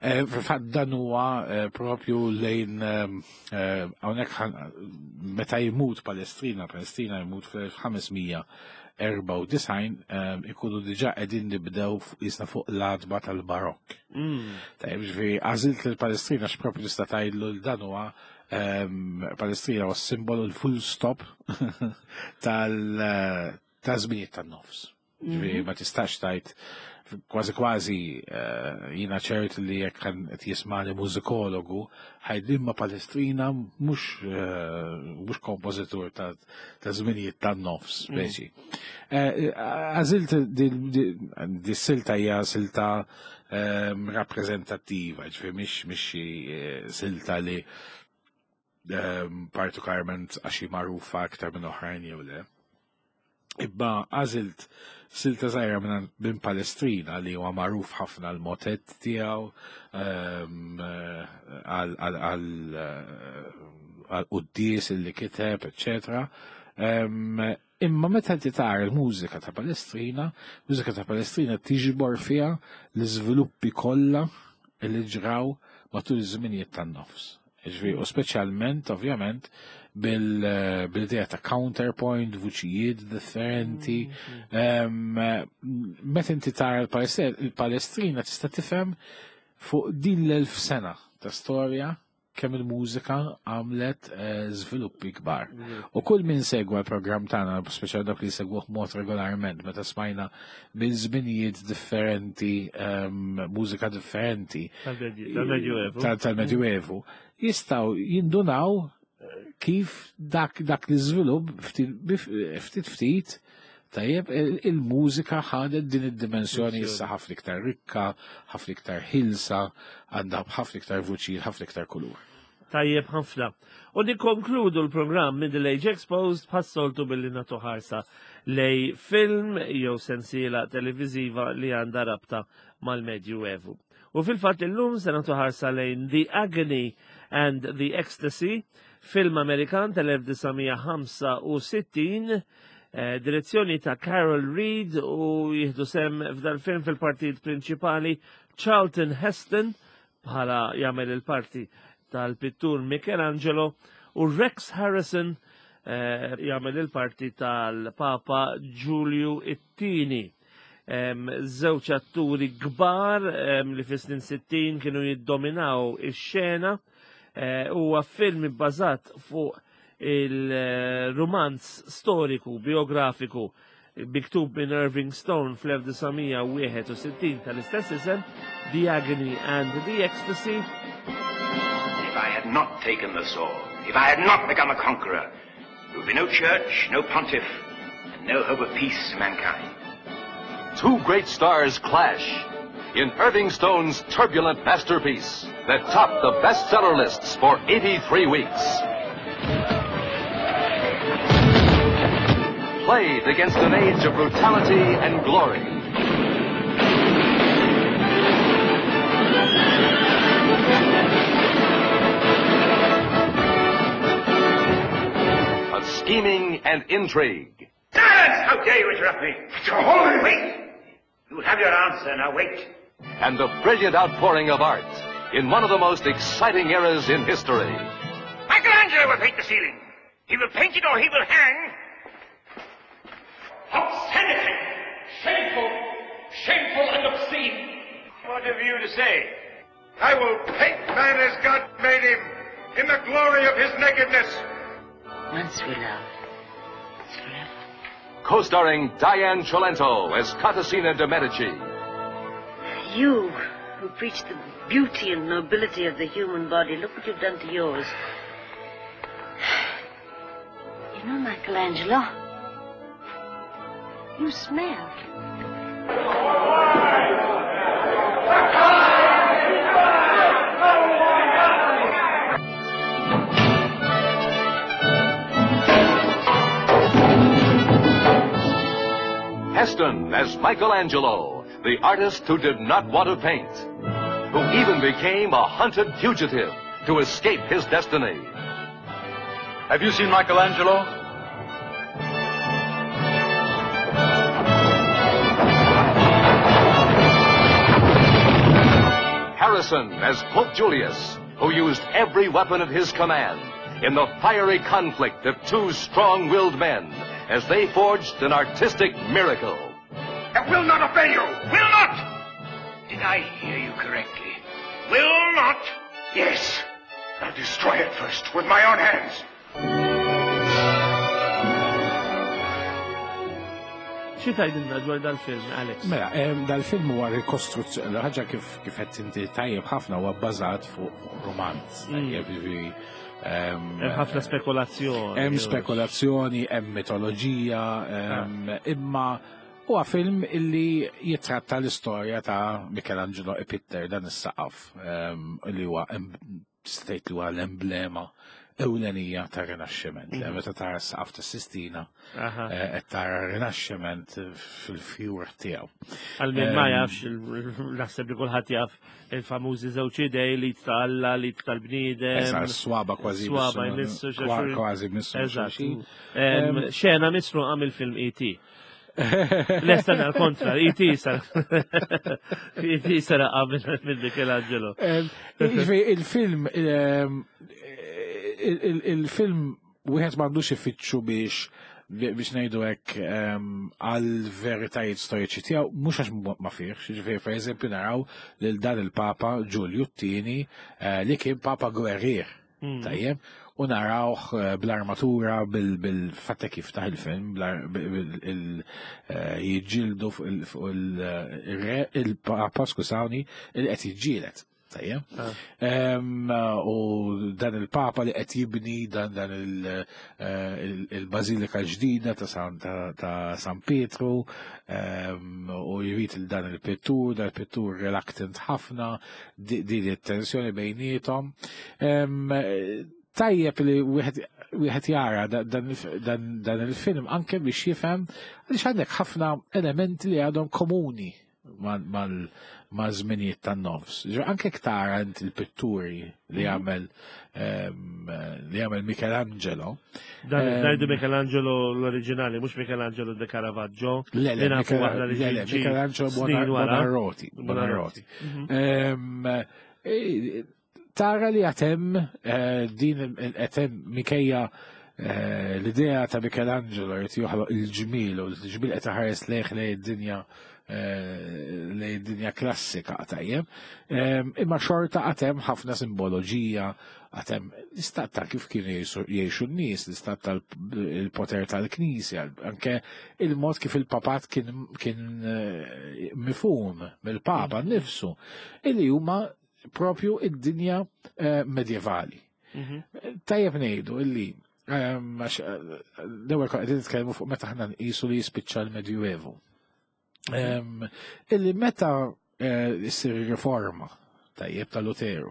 Eh, fil-fatt dan huwa eh, propju lejn eh, hawnhekk meta jmut Palestrina, Palestrina jmut fl-1594 ikunu diġà qegħdin nibdew jisna fuq l-adba tal-Barokk. Tajjeb, ġifieri għażilt lil Palestrina x'propju tista' tgħidlu l dan huwa Palestrina huwa simbolu l-full stop tal ta' żminijiet tan-nofs. Ġifieri ma tistax tajt kważi kważi jiena ċert li jekk qed jismani mużikologu ħajd imma Palestrina mhux kompożitur ta' żminijiet tan-nofs speċi. Għażilt di silta hija silta rappreżentattiva, ġifieri mhix xi silta li partikolarment għax hi magħrufa aktar minn oħrajn jew le. Imma għażilt silta żgħira minn Palestrina li huwa magħruf ħafna l-motett tiegħu ehm, għal quddies li kiteb, eċetera. Ehm, imma meta inti tara l-mużika ta' Palestrina, mużika ta' Palestrina tiġbor fiha l-iżviluppi kollha li ġraw matul iż-żminijiet tan-nofs. Ġifieri, u speċjalment, ovvjament, bil-idea ta' counterpoint, vuċijiet differenti. Mm-hmm. Meta inti tara l-Palestrina tista' tifhem fuq din l-elf sena ta' storja kemm il-mużika għamlet eh, żviluppi kbar. Mm. U kull min segwa l-programm tagħna, speċjal dak li segwuh mod regolarment, meta smajna minn żminijiet differenti, ehm, mużika differenti. Tal-Medjuevu. Tal-Medjuevu. Jistgħu jindunaw eh, kif dak dak l-iżvilupp ftit ftit tajjeb il-mużika ħadet din id-dimensjoni issa ħafna iktar rikka, ħafna iktar ħilsa, għandha ħafna iktar vuċijiet, ħafna iktar kulur. Tajjeb ħafna. U nikkonkludu l-programm Middle Age Exposed bħas-soltu billi nagħtu ħarsa lej film jew sensiela televiżiva li għandha rabta mal-Medju Evu. U fil-fatt illum se nagħtu ħarsa lejn The Agony and the Ecstasy, film Amerikan tal-1965, eh, direzzjoni ta' Carol Reed u jieħdu sem f'dal-film fil-partit prinċipali Charlton Heston bħala jagħmel il-parti tal-pittur Michelangelo u Rex Harrison eh, jagħmel il-parti tal-Papa Giulio it-Tieni. Żewġ atturi kbar li fis-snin 60 kienu jiddominaw ix-xena eh, huwa film ibbażat fuq il-rumanz storiku biografiku miktub minn Irving Stone fl-1961 tal-istess isem, The Agony and the Ecstasy. If I had not taken the sword, if I had not become a conqueror, there would be no church, no pontiff, and no hope of peace to mankind. Two great stars clash in Irving Stone's turbulent masterpiece that topped the bestseller lists for 83 weeks. Played against an age of brutality and glory. Of scheming and intrigue. Silence! How dare you interrupt me? Holy wait! You have your answer, now wait. And the brilliant outpouring of art in one of the most exciting eras in history. Michelangelo will paint the ceiling. He will paint it or he will hang. Obscenity! Shameful! Shameful and obscene! What have you to say? I will paint man as God made him, in the glory of his nakedness. Once we love, it's forever. Co-starring Diane Cilento as Contessina de Medici. You, who preach the beauty and nobility of the human body, look what you've done to yours. You know, Michelangelo, you smell. Heston as Michelangelo, the artist who did not want to paint, who even became a hunted fugitive to escape his destiny. Have you seen Michelangelo? Harrison as Pope Julius, who used every weapon at his command in the fiery conflict of two strong-willed men as they forged an artistic miracle. I will not obey you! Will not! Did I hear you correctly? Will not? Yes. I'll destroy it first with my own hands. Xi tgħidilna dwar dal-film, Alex? Mela, dal-film huwa rikostruzzjoni, ħaġa kif kif qed inti tajjeb ħafna huwa bbażat fuq romanz. Tajjeb, jiġifieri, Hemm ħafna spekulazzjoni. Hemm spekulazzjoni, hemm mitoloġija, imma huwa film illi jitratta l-istorja ta' Michelangelo Ipitter dan is-saqaf li huwa tista' tgħid li huwa l-emblema ewlenija ta' Rinaxximent. Mm. Meta tara s-saqaf ta' Sistina, eh, qed tara Rinaxximent fil-fjur tiegħu. Għal min ma jafx, naħseb li kulħadd jaf il-famużi żewġ idej li ta' Alla, li tal-bniedem. Eżatt, swaba kważi. Swaba jmissu kważi missu. Eżatt. Xena misruqa mill-film E.T. Lesta għal kontra, E.T. sar. E.T. sar għamil minn Michelangelo. Il-film, il-film wieħed m'għandux ifittxu biex biex ngħidu hekk għal veritajiet storiċi tiegħu mhux għax ma fihx, jiġifieri pereżempju naraw lil dan il-Papa Ġulju t-tieni eh, li kien Papa gwerrier. Hmm. Tajjeb, u narawh eh, bl-armatura bil-fatta kif taħ il-film, eh, jiġġieldu fuq il-papa, skużawni, il qed jiġġieled. Tajjeb. Ah. U dan il-papa li qed jibni dan dan eh, il-bazilika ġdida ta' San Pietru u jrid il dan il-pittur, dan il-pittur reluctant ħafna, din it-tensjoni bejnietom. Tajjeb li wieħed jara dan il-film anke biex jifhem għaliex għandek ħafna elementi li għadhom komuni ma' żminijiet tan-nofs. Anke tara int il-pitturi li mhm. għamel li għamel Michelangelo. Dan ngħidu Michelangelo l-oriġinali, mhux Michelangelo de Caravaggio. Le, le, Michelangelo Buonarroti. Buonarroti. Mhm. E, tara li għatem eh, din għatem mikejja eh, l-idea ta' Michelangelo jrid joħloq il-ġmil u l-ġmil qed ħares lejh lejn id-dinja eh, lejn id-dinja klassika tajjeb. Imma xorta għatem ħafna simboloġija, għatem l-istat ta' kif kienu jgħixu n-nies, l-istat tal-poter tal-knisja, anke il-mod kif il-papat kien, kien eh, mifhum mill-papa mm. nnifsu, illi huma propju id-dinja eh, medjevali. Mhm. Tajjeb ngħidu illi ehm, eh, l-ewwel qegħdin nitkellmu fuq meta aħna nqisu li jispiċċa l-Medjuevu. Mhm. Illi meta issir riforma tajjeb ta' Luteru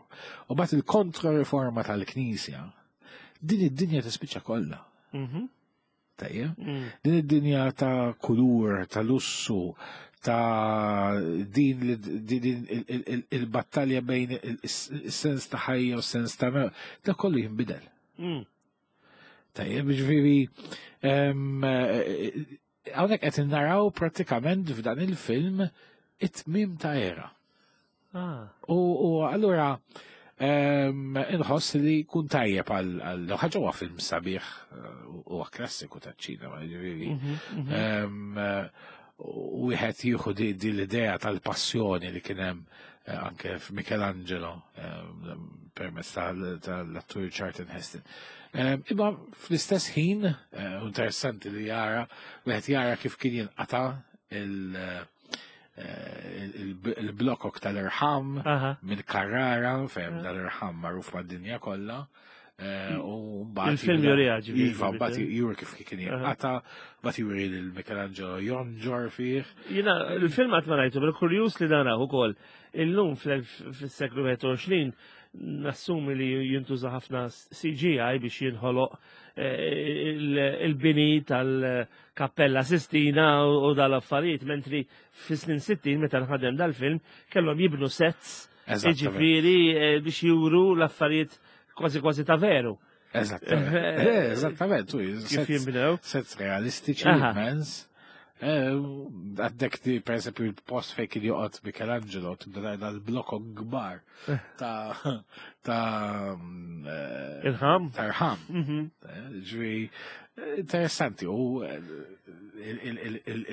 u bat il-kontra-riforma tal-Knisja, din id-dinja tispiċċa kollha. Mhm. Tajjeb? Mm. Din id-dinja ta' kulur, ta' lussu, ta' din il-battalja bejn il-sens ta' ħajja u s-sens ta' mewt, da kollu jinbidel. Mm. Tajjeb, ġifieri hawnhekk qed naraw prattikament f'dan il-film it-tmiem ta' era. Ah. U allura inħoss li kun tajjeb għal ħaġa huwa film sabiħ eh, huwa klassiku taċ-ċinema, ġifieri. Mhm, mhm. Wieħed jieħu di l-idea tal-passjoni li kien hemm eh, anke f'Michelangelo permezz tal-attur Charlton Heston. Imma fl-istess ħin, eh, interessanti li jara, wieħed jara kif kien jinqata' il-blokok tal-irħam minn Carrara, fejn dal-irħam magħruf mad-dinja kollha. Eh, u mbagħad il-film juri ġifieri. Iva, mbagħad juri kif kien jinqata, mbagħad juri lil Michelangelo jonġor fih. Jiena il-film qatt ma rajtu, però kurjuż li naraw ukoll. Illum fis-seklu 21 nassumi li jintuża ħafna CGI biex jinħoloq eh, il-bini tal-Kappella Sistina u dal-affarijiet, mentri fis-snin 60 meta nħadem dal-film kellhom jibnu sets jiġifieri eh, biex juru l-affarijiet kważi kważi ta' veru. Eżattament. Eh, eżattament, kif jinbnew. Sets realistiċi immens. Eh, għaddek di, per esempio, il-post fej kien joqgħod Michelangelo, tibda dal-blokok kbar ta' ta' eh, irħam. Ta' irħam. Mhm. Ġifieri interessanti u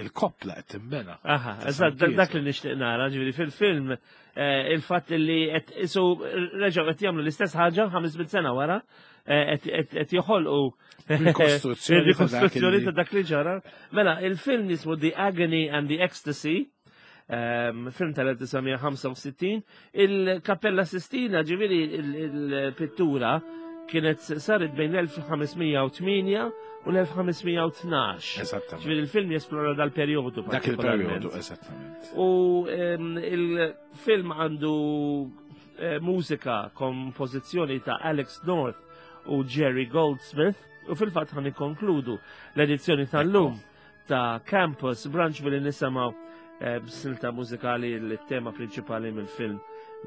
il-koppla qed tinbena. Aha, eżatt dak li nixtieq nara, ġifieri fil-film eh, il-fatt li qed isu reġgħu qed jagħmlu l-istess ħaġa 500 sena wara eh, qed joħolqu rikostruzzjoni ta' dak li ġara. Mela, il-film jismu The Agony and the Ecstasy Ehm, film tal-1965, il-Kappella Sistina, ġiviri il-pittura, kienet saret bejn l-1508 u l-1512. Esattament. Ġiviri il-film jesplora dal-periodu. Dak il-periodu, esattament. U ehm, il-film għandu eh, mużika kompożizzjoni ta' Alex North u Jerry Goldsmith u fil-fatt ħan ikkonkludu l-edizzjoni tal-lum ta' Campus Branch billi nisimgħu eh, b'silta mużikali l-tema prinċipali mill-film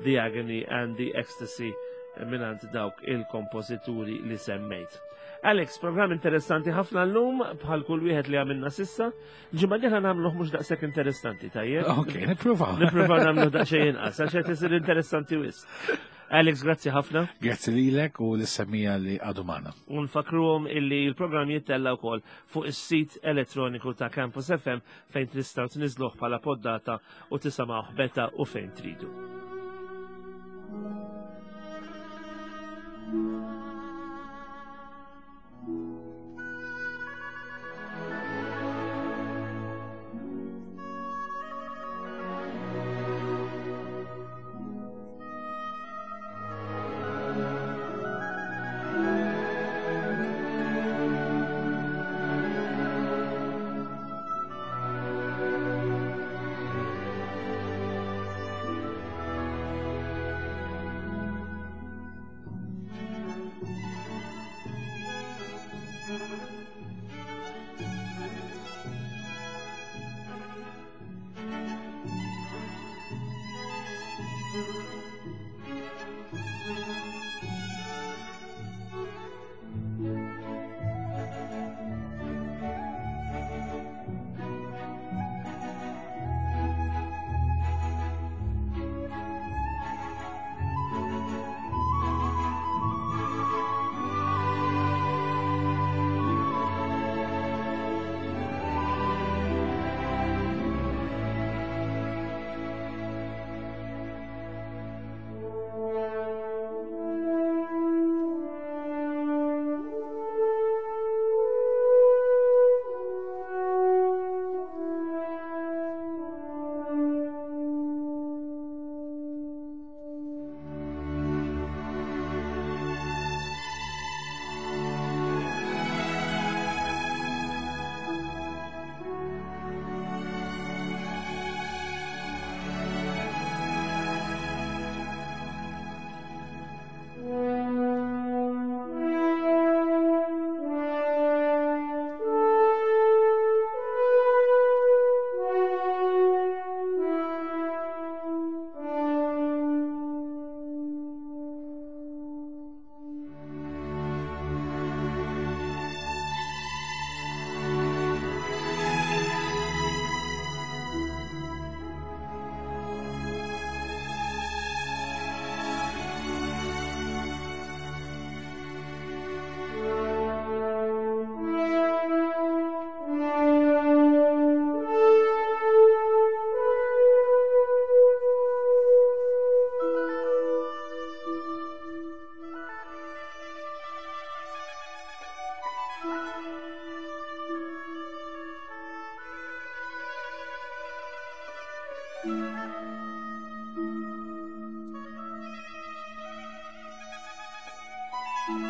The Agony and the Ecstasy eh, minant dawk il-kompożituri li semmejt. Alex, program interessanti ħafna l-lum bħal kull wieħed li għamilna sissa. Ġimgħa dieħla nagħmluh mhux daqshekk interessanti, tajjeb? Ok, nippruvaw. Nippruvaw nagħmluh daqsxejn inqas għax qed isir interessanti wisq. Alex, grazzi ħafna. Grazzi lilek u l-semmija li għadu magħna. U nfakruhom illi l-programm jittella wkoll fuq is-sit elettroniku ta' Campus FM fejn tistgħu tniżluh bħala poddata u tisimgħuh beta u fejn tridu. Thank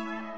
you.